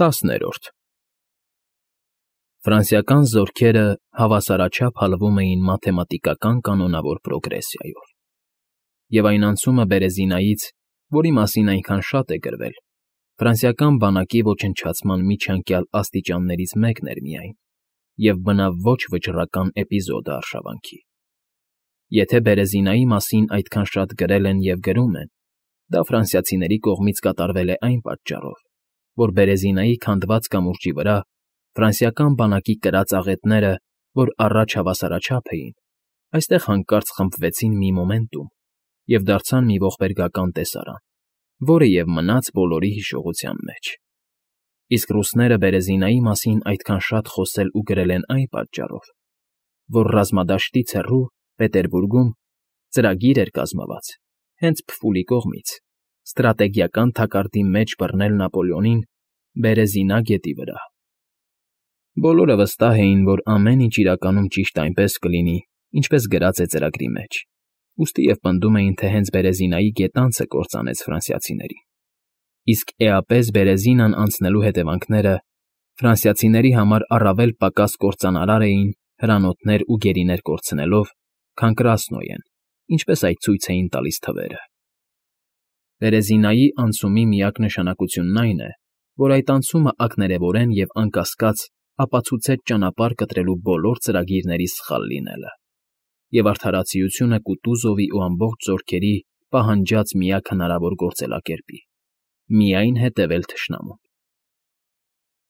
10-րդ Ֆրանսիական զորքերը հավասարաչափ հալվում էին մաթեմատիկական կանոնավոր պրոգրեսիայով, և այն անցումը Բերեզինայից, որի մասին այնքան շատ է գրվել, ֆրանսիական բանակի ոչնչացման միջանկյալ աստիճաններից մեկն էր միայն և բնավ ոչ վճռական էպիզոդը արշավանքի։ Եթե Բերեզինայի մասին այդքան շատ գրել են և գրում են, դա ֆրանսիացիների կողմից կատարվել է այն պատճառով, որ Բերեզինայի քանդված կամուրջի վրա ֆրանսիական բանակի կրած աղետները, որ առաջ հավասարաչափ էին, այստեղ հանկարծ խմբվեցին մի մոմենտում և դարձան մի ողբերգական տեսարան, որը և մնաց բոլորի հիշողության մեջ։ Իսկ ռուսները Բերեզինայի մասին այդքան շատ խոսել ու գրել են այն պատճառով, որ ռազմադաշտից հեռու, Պետերբուրգում, ծրագիր էր կազմված, հենց փֆուլի կողմից, ստրատեգիական թակարդի մեջ բռնել Նապոլեոնին Բերեզինա գետի վրա։ Բոլորը վստահ էին, որ ամեն ինչ իրականում ճիշտ այնպես կլինի, ինչպես գրած է ծրագրի մեջ, ուստի և պնդում էին, թե հենց Բերեզինայի գետանցը կործանեց ֆրանսիացիներին։ Իսկ էապես Բերեզինան անցնելու հետևանքները ֆրանսիացիների համար առավել պակաս կործանարար էին հրանոթներ ու գերիներ կորցնելով, քան Կրասնոյեն, ինչպես այդ ցույց էին տալիս թվերը։ Բերեզինայի անցումի միակ նշանակությունն այն է, որ այդ անցումը ակներևորեն և անկասկած ապացուցեց ճանապարհ կտրելու բոլոր ծրագիրների սխալ լինելը, և արդարացիությունը Կուտուզովի ու ամբողջ զորքերի պահանջած միակ հնարավոր գործելակերպի՝ միայն հետևել թշնամուն։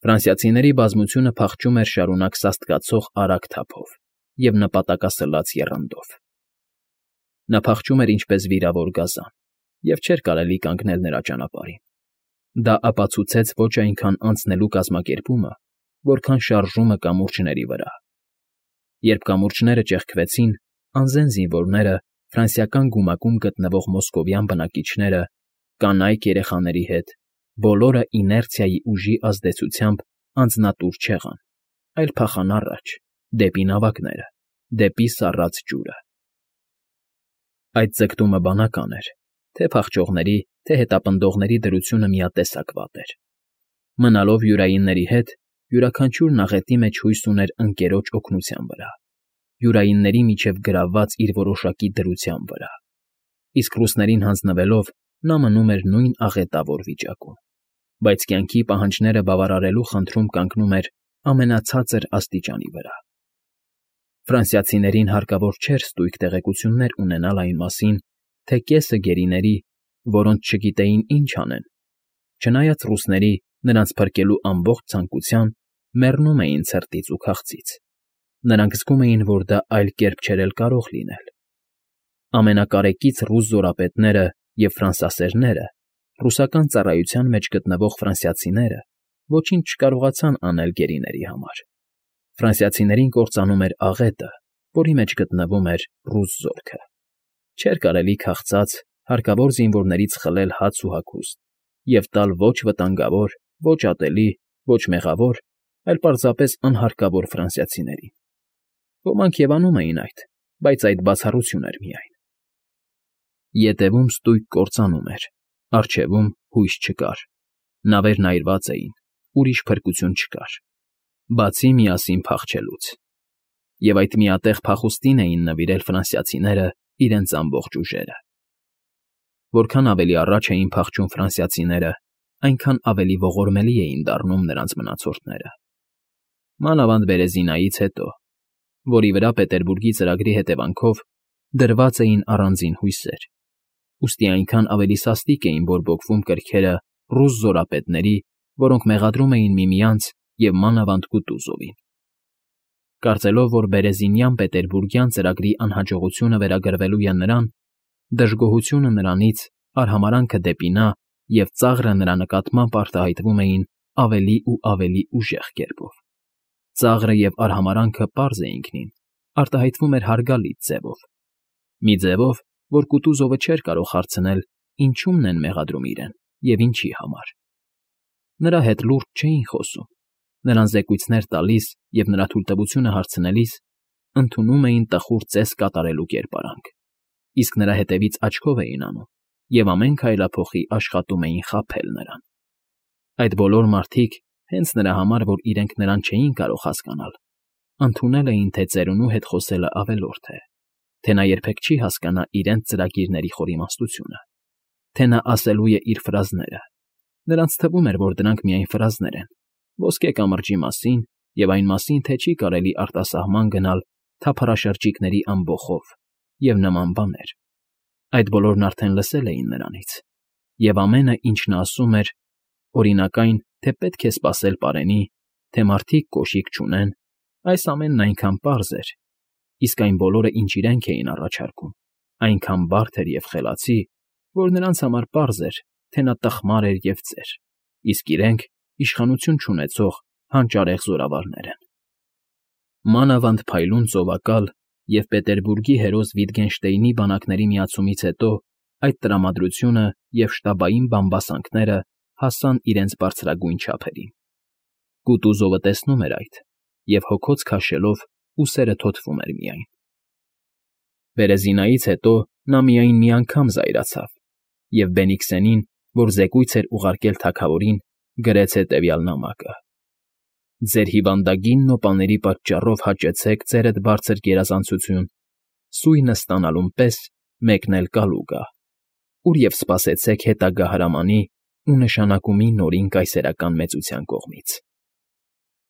Ֆրանսիացիների բազմությունը փախչում էր շարունակ սաստկացող արագ թափով և նպատակասլաց եռանդով։ Նա փախչում էր ինչպես վիրավոր գազան, և չէր կարելի կանգնել նրա ճանապարհին։ Դա ապացուցեց ոչ այնքան անցնելու կազմակերպումը, որքան շարժումը կամուրջների վրա։ Երբ կամուրջները ճեղքվեցին, անզեն զինվորները, ֆրանսիական գումակում գտնվող մոսկովյան բնակիչները, կանայք երեխաների հետ, բոլորը իներցիայի ուժի ազդեցությամբ անձնատուր չեղան, այլ փախան առաջ, դեպի նավակները, դեպի սառած ջուրը։ Այդ ձգտումը բանական էր, թե փախչողների, թե հետապնդողների դրությունը միատեսակ վատ էր։ Մնալով յուրայինների հետ, յուրաքանչյուրն աղետի մեջ հույս ուներ ընկերոջ օգնության վրա, յուրայինների միջև գրավված իր որոշակի դրության վրա, իսկ ռուսներին հանձնվելով նա մնում էր նույն աղետավոր վիճակում, բայց կյանքի պահանջները բավարարելու խնդրում կանգնում էր ամենացածր աստիճանի վրա։ Ֆրանսիացիներին հարկավոր չէր ստույգ տեղեկություններ ունենալ այն մասին, թե կեսը գերիների, որոնց չգիտեին ինչ անեն, չնայած ռուսների նրանց փրկելու ամբողջ ցանկության, մեռնում էին ցրտից ու քաղցից։ Նրանք զգում էին, որ դա այլ կերպ չէր էլ կարող լինել։ Ամենակարեկից ռուս զորապետները և ֆրանսասերները, ռուսական ծառայության մեջ գտնվող ֆրանսիացիները ոչինչ չկարողացան անել գերիների համար։ Ֆրանսիացիներին կործանում էր աղետը, որի մեջ գտնվում էր ռուս զորքը։ Չէր կարելի քաղցած, հարկավոր զինվորներից խլել հաց ու հագուստ և տալ ոչ վտանգավոր, ոչ ատելի, ոչ մեղավոր, այլ պարզապես անհարկավոր ֆրանսիացիներին։ Ոմանք և անում էին այդ, բայց այդ բացառություն էր միայն։ Ետևում ստույգ կործանում էր, առջևում հույս չկար, նավերն այրված էին, ուրիշ փրկություն չկար, բացի միասին փախչելուց։ Եվ այդ միատեղ փախուստին էին նվիրել ֆրանսիացիները իրենց ամբողջ ուժերը։ Որքան ավելի առաջ էին փախչում ֆրանսիացիները, այնքան ավելի ողորմելի էին դառնում նրանց մնացորդները։ Մանավանդ Բերեզինայից հետո, որի վրա Պետերբուրգի ծրագրի հետևանքով դրված էին առանձին հույսեր, ուստի այնքան ավելի սաստիկ էին բորբոքվում կրքերը ռուս զորապետների, որոնք մեղադրում էին միմյանց և մանավանդ Կուտուզովին։ Կարծելով, որ Բերեզինյան Պետերբուրգյան ծրագրի անհաջողությունը վերագրվելու է նրան, դժգոհությունը նրանից, արհամարհանքը դեպի նա և ծաղրը նրա նկատմամբ արտահայտվում էին ավելի ու ավելի ուժեղ կերպով։ Ծաղրը և արհամարհանքը պարզ է ինքնին, արտահայտվում էր հարգալից ձևով։ Մի ձևով, որ Կուտուզովը չէր կարող հարցնել, ինչումն են մեղադրում իրեն և ինչի համար։ Նրա հետ լուրջ չէին խոսում, նրան զեկույցներ տալիս և նրա թույլտվությունը հարցնելիս ընդունում էին տխուր ծես կատարելու կերպարանք, իսկ նրա հետևից աչքով էին անում և ամեն քայլափոխի աշխատում էին խաբել նրան։ Այդ բոլոր մարդիկ, հենց նրա համար, որ իրենք նրան չէին կարող հասկանալ, ընդունել էին, թե ծերունու հետ խոսելը ավելորդ է, թե նա երբեք չի հասկանա իրենց ծրագիրների խորիմաստությունը, թե նա ասելու է իր ֆրազները. նրանց թվում էր, որ դրանք միայն ֆրազներ են, ոսկե կամրջի մասին և այն մասին, թե չի կարելի արտասահման գնալ թափառաշրջիկների ամբոխով և նման բաներ. այդ բոլորն արդեն լսել էին նրանից, և ամենը, ինչ նա ասում էր, օրինակ այն, թե պետք է սպասել պարենի, թե մարդիկ կոշիկ չունեն, այս ամենն այնքան պարզ էր, իսկ այն բոլորը, ինչ իրենք էին առաջարկում, այնքան բարդ էր և խելացի, որ նրանց համար պարզ էր, թե նա տխմար էր և ծեր, իսկ իրենք իշխանություն չունեցող հանճարեղ զորավարներ են։ Մանավանդ փայլուն ծովակալ և Պետերբուրգի հերոս Վիտգենշտեյնի բանակների միացումից հետո այդ տրամադրությունը և շտաբային բամբասանքները հասան իրենց բարձրագույն չափերին։ Կուտուզովը տեսնում էր այդ և հոգոց քաշելով ուսերը թոթվում էր միայն։ Բերեզինայից հետո նա միայն մի անգամ զայրացավ և Բենիքսենին, որ զեկույց էր ուղարկել թագավորին, գրեց հետևյալ նամակը. «Ձեր հիվանդագին նոպաների պատճառով հաճեցեք ձերդ բարձր գերազանցություն, սույնը ստանալուն պես մեկն էլ կալու գա, ուր և սպասեցեք հետագա հրամանի ու նշանակումի նորին կայսերական մեծության կողմից»։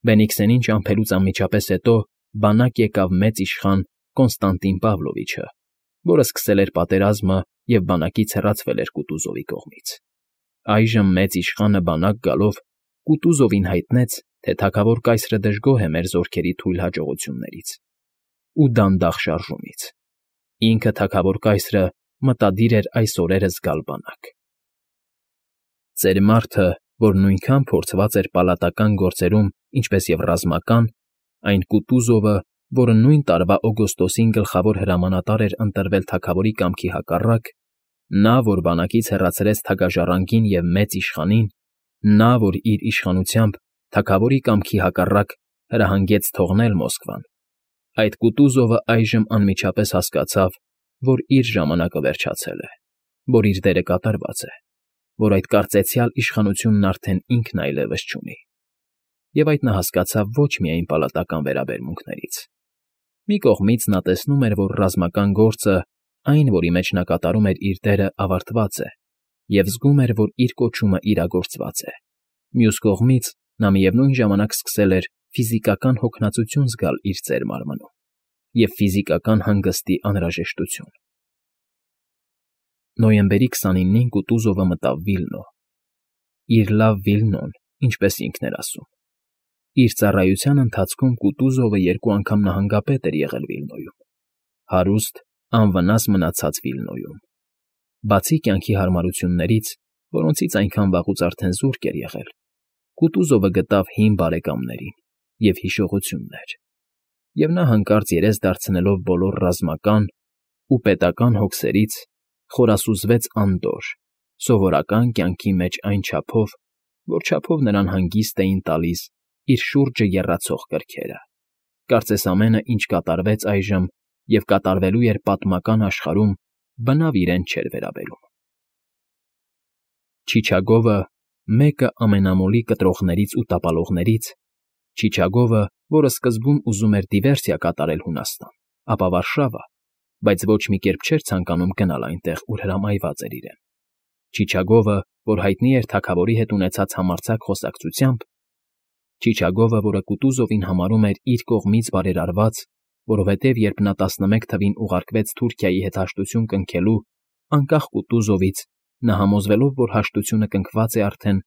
Բենիքսենին ճամփելուց անմիջապես հետո բանակ եկավ մեծ իշխան Կոնստանտին Պավլովիչը, որը սկսել էր պատերազմը և բանակից հեռացվել էր Կուտուզովի կողմից։ Այժմ մեծ իշխանը բանակ գալով Կուտուզովին հայտնեց, թե թագավոր կայսրը դժգոհ է մեր զորքերի թույլ հաջողություններից ու դանդաղ շարժումից։ Ինքը թագավոր կայսրը մտադիր էր այս օրերս գալ բանակ։ Ծեր մարդը, որ նույնքան փորձված էր պալատական գործերում, ինչպես և ռազմական, այն Կուտուզովը, որը նույն տարվա օգոստոսին գլխավոր հրամանատար էր ընտրվել թագավորի կամքի հակառակ, նա, որ բանակից հեռացրեց թագաժառանգին և մեծ իշխանին, նա, որ իր իշխանությամբ թագավորի կամքի հակառակ հրահանգեց թողնել Մոսկվան, այդ Կուտուզովը այժմ անմիջապես հասկացավ, որ իր ժամանակը վերջացել է, որ իր դերը կատարված է, որ այդ կարծեցյալ իշխանությունն արդեն ինքն այլևս չունի։ Եվ այդ նա հասկացավ ոչ միայն պալատական վերաբերմունքներից։ Մի կողմից նա տեսնում էր, որ ռազմական գործը, այն, որի մեջ նա կատարում էր իր դերը, ավարտված է, և զգում էր, որ իր կոչումը իրագործված է։ Մյուս կողմից նա միևնույն ժամանակ սկսել էր ֆիզիկական հոգնածություն զգալ իր ծեր մարմնում և ֆիզիկական հանգստի անհրաժեշտություն։ Նոյեմբերի 29-ին Կուտուզովը մտավ Վիլնո։ Իր լավ Վիլնոն, ինչպես ինքն էր ասում։ Իր ծառայության ընթացքում Կուտուզովը 2 անգամ նահանգապետ էր եղել Վիլնոյում, հարուստ, անվնաս մնացած Վիլնոյում։ Բացի կյանքի հարմարություններից, որոնցից այնքան վաղուց արդեն զուրկ էր եղել, Կուտուզովը գտավ հին բարեկամներին և հիշողություններ, և նա հանկարծ երես դարձնելով բոլոր ռազմական ու պետական հոգսերից, խորասուզվեց անդորր, սովորական կյանքի մեջ այն չափով, որ չափով նրան հանգիստ էին տալիս իր շուրջը եռացող կրքերը, կարծես ամենը, ինչ կատարվեց այժմ և կատարվելու էր պատմական աշխարհում, բնավ իրեն չէր վերաբերում։ Չիչագովը, մեկը ամենամոլի կտրողներից ու տապալողներից, Չիչագովը, որը սկզբում ուզում էր դիվերսիա կատարել Հունաստան, ապա Վարշավա, բայց ոչ մի կերպ չէր ցանկանում գնալ այնտեղ, ուր հրամայված էր իրեն։ Չիչագովը, որ հայտնի էր թագավորի հետ ունեցած համարձակ խոսակցությամբ, Չիչագովը, որը Կուտուզովին համարում էր իր կողմից բարերարված, որովհետև երբ նա 11 թվին ուղարկվեց Թուրքիայի հետ հաշտություն կնքելու, անկախ Կուտուզովից, նա համոզվելով, որ հաշտությունը կնքված է արդեն,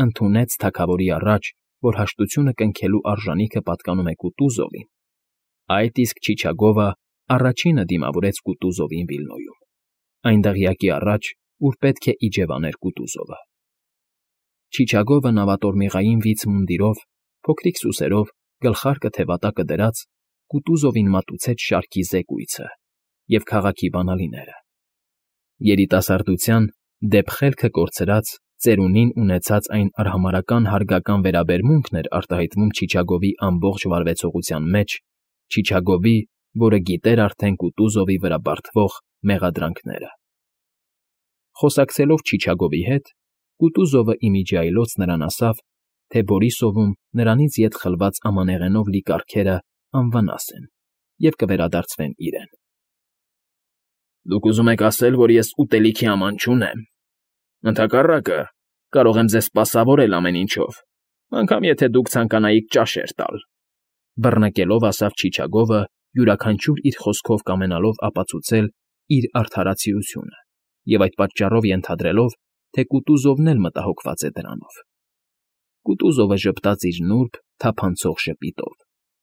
ընդունեց թագավորի առաջ, որ հաշտությունը կնքելու արժանիքը պատկանում է Կուտուզովին։ Այդ իսկ Չիչագովը առաջինը դիմավորեց Կուտուզովին Վիլնոյում, այն դղյակի առաջ, ուր պետք է իջևաներ Կուտուզովը։ Չիչագովը նավատորմիղային վիծ մունդիրով, փոքրիկ սուսերով, գլխարկը թևատակը դրած, Կուտուզովին մատուցեց շարքի զեկույցը և քաղաքի բանալիները։ Երիտասարդության, դեպ խելքը կորցրած, ծերունին ունեցած այն արհամարհական հարգական վերաբերմունքն էր արտահայտվում Չիչագովի ամբողջ վարվեցողության մեջ, Չիչագովի, որը գիտեր արդեն Կուտուզովի վրա բարդվող մեղադրանքները։ Խոսակցելով Չիչագովի հետ, Կուտուզովը ի միջի այլոց նրան ասավ, թե Բորիսովում նրանից ետ խլված ամանեղենով լի կառքերը անվնաս են և կվերադարձվեն իրեն։ Դուք ուզում եք ասել, որ ես ուտելիքի աման չունեմ։ Ընդհակառակը, կարող եմ ձեզ սպասավորել ամեն ինչով, անգամ եթե դուք ցանկանայիք ճաշեր տալ,֊ բռնկելով ասավ Չիչագովը, յուրաքանչյուր իր խոսքով կամենալով ապացուցել իր արդարացիությունը և այդ պատճառով ենթադրելով, թե Կուտուզովն էլ մտահոգված է դրանով։ Կուտուզովը ժպտաց իր նուրբ, թափանցող ժպիտով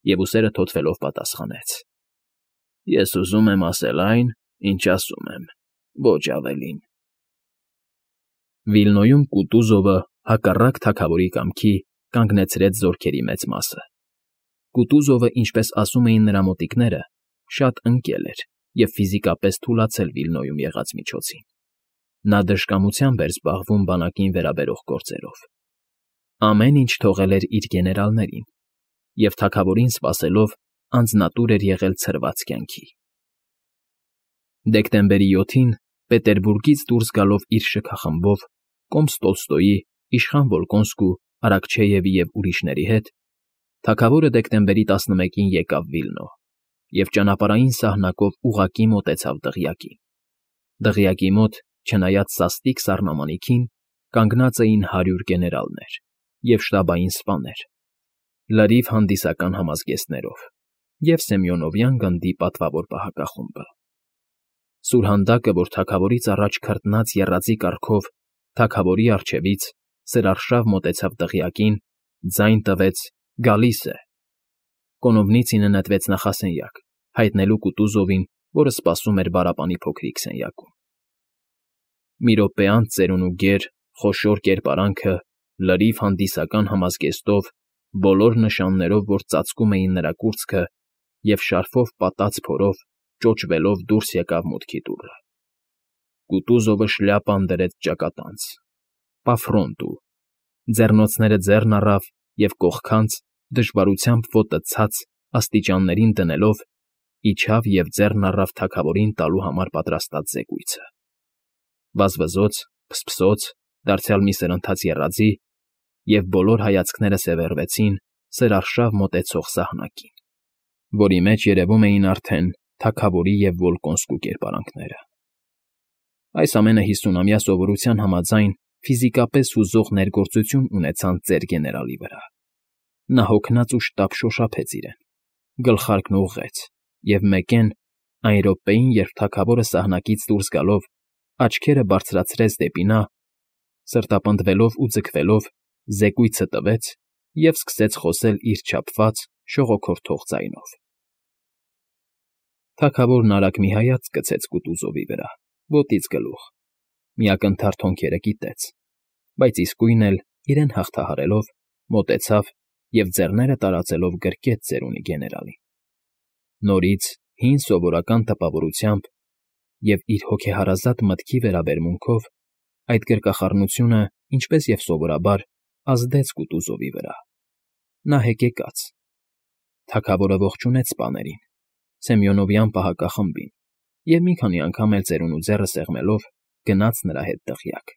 և ուսերը թոթվելով պատասխանեց. Ես ուզում եմ ասել այն, ինչ ասում եմ, ոչ ավելին։ Վիլնոյում Կուտուզովը, հակառակ թագավորի կամքի, կանգնեցրեց զորքերի մեծ մասը։ Կուտուզովը, ինչպես ասում էին նրա մոտիկները, շատ ընկել էր և ֆիզիկապես թուլացել Վիլնոյում եղած միջոցին։ Նա դժկամությամբ էր զբաղվում բանակին վերաբերող գործերով։ Ամեն ինչ թողել էր իր գեներալներին և թագավորին սպասելով անձնատուր էր եղել ցրված կյանքի։ Դեկտեմբերի 7-ին Պետերբուրգից դուրս գալով իր շքախմբով, կոմս Տոլստոյի, իշխան Վոլկոնսկու, Արաքչեևի և ուրիշների հետ, թագավորը դեկտեմբերի 11-ին եկավ Վիլնո և ճանապարհային սահնակով ուղղակի մոտեցավ դղյակին։ Դղյակի մոտ, չնայած սաստիկ սառնամանիքին, կանգնած էին 100 գեներալներ և շտաբային սպաներ, լրիվ հանդիսական համազգեստներով և Սեմյոնովյան գնդի պատվավոր պահակախումբը։ Սուրհանդակը, որ թագավորից առաջ քրտնած եռաձի կառքով թագավորի առջևից սրարշավ մոտեցավ դղյակին, ձայն տվեց. «Գալիս է»։ Կոնովնիցինը նետվեց նախասենյակ, հայտնելու Կուտուզովին, որը սպասում էր բարապանի փոքրիկ սենյակում։ Մի րոպե անց ծերունու գեր, խոշոր կերպարանքը, լրիվ հանդիսական համազգեստով, բոլոր նշաններով, որ ծածկում էին նրա կուրծքը, և շարֆով պատած փորով, ճոճվելով դուրս եկավ մուտքի դուռը։ Կուտուզովը շլյապան դրեց ճակատանց, պաֆրոնտու, ձեռնոցները ձեռն առավ և կողքանց, դժվարությամբ ոտը ցած, աստիճաններին դնելով, իջավ և ձեռն առավ թագավորին տալու համար պատրաստած զեկույցը։ Վազվզոց, փսփսոց, դարձյալ մի սրընթաց եռաձի, և բոլոր հայացքները սևեռվեցին սրարշավ մոտեցող սահնակին, որի մեջ երևում էին արդեն թագավորի և Վոլկոնսկու կերպարանքները։ Այս ամենը 50-ամյա սովորության համաձայն ֆիզիկապես հուզող ներգործություն ունեցան ծեր գեներալի վրա։ Նա հոգնած ու շտապ շոշափեց իրեն, գլխարկն ուղղեց և մեկեն, այն րոպեին, երբ թագավորը սահնակից դուրս գալով, աչքերը բարձրացրեց դեպի նա, սրտապնդվելով ու ձգվելով, զեկույցը տվեց և սկսեց խոսել իր չափված, շողոքորթող ձայնով։ Թագավորն արագ մի հայացք գցեց Կուտուզովի վրա, ոտից գլուխ, մի ակնթարթ հոնքերը կիտեց, բայց իսկույն էլ, իրեն հաղթահարելով, մոտեցավ և ձեռները տարածելով գրկեց ծերունի գեներալին։ Նորից, հին սովորական տպավորությամբ և իր հոգեհարազատ մտքի վերաբերմունքով այդ գրկախառնությունը, ինչպես և սովորաբար, ազդեց Կուտուզովի վրա։ Նա հեկեկաց։ Թագավորը ողջունեց սպաներին, Սեմյոնովյան պահակախմբին և մի քանի անգամ էլ ծերունու ձեռը սեղմելով գնաց նրա հետ դղյակ։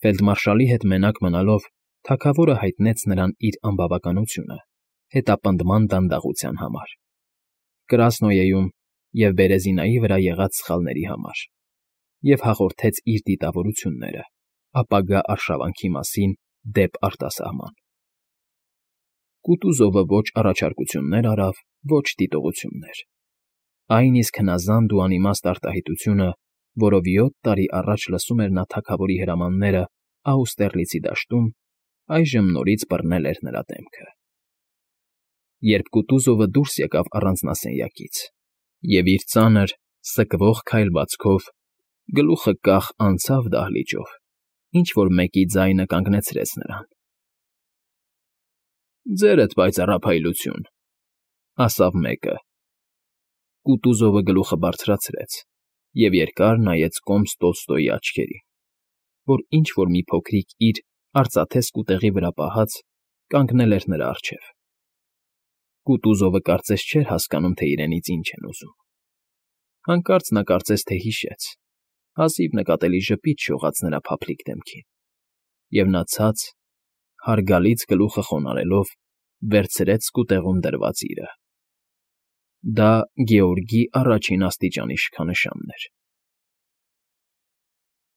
Ֆելդմարշալի հետ մենակ մնալով թագավորը հայտնեց նրան իր անբավականությունը հետապնդման դանդաղության համար, Կրասնոյեում և Բերեզինայի վրա եղած սխալների համար և հաղորդեց իր դիտավորությունները ապագա արշավանքի մասին դեպ արտասահման։ Կուտուզովը ոչ առաջարկություններ արավ, ոչ դիտողություններ։ Այն իսկ հնազանդ ու անիմաստ արտահայտությունը, որով 7 տարի առաջ լսում էր նա թագավորի հրամանները Աուստերլիցի դաշտում, այժմ նորից բռնել էր նրա դեմքը։ Երբ Կուտուզովը դուրս եկավ առանձնասենյակից և իր ծանր, սկվող քայլվածքով, գլուխը կախ անցավ դահլիճով, ինչ֊որ մեկի ձայնը կանգնեցրեց նրան։ «Ձերդ պայծառափայլություն», ասավ մեկը։ Կուտուզովը գլուխը բարձրացրեց և երկար նայեց կոմս Տոլստոյի աչքերին, որ ինչ֊որ մի փոքրիկ իր արծաթե սկուտեղի վրա պահած կանգնել էր նրա առջև։ Կուտուզովը կարծես չէր հասկանում, թե իրենից ինչ են ուզում։ Հանկարծ նա կարծես թե հիշեց, հազիվ նկատելի ժպիտ շողաց նրա փափլիկ դեմքին, և նա ցած, Հարգալից գլուխը խոնարհելով, վերցրեց սկուտեղում դրված իրը. դա Գեորգի առաջին աստիճանի շքանշանն էր։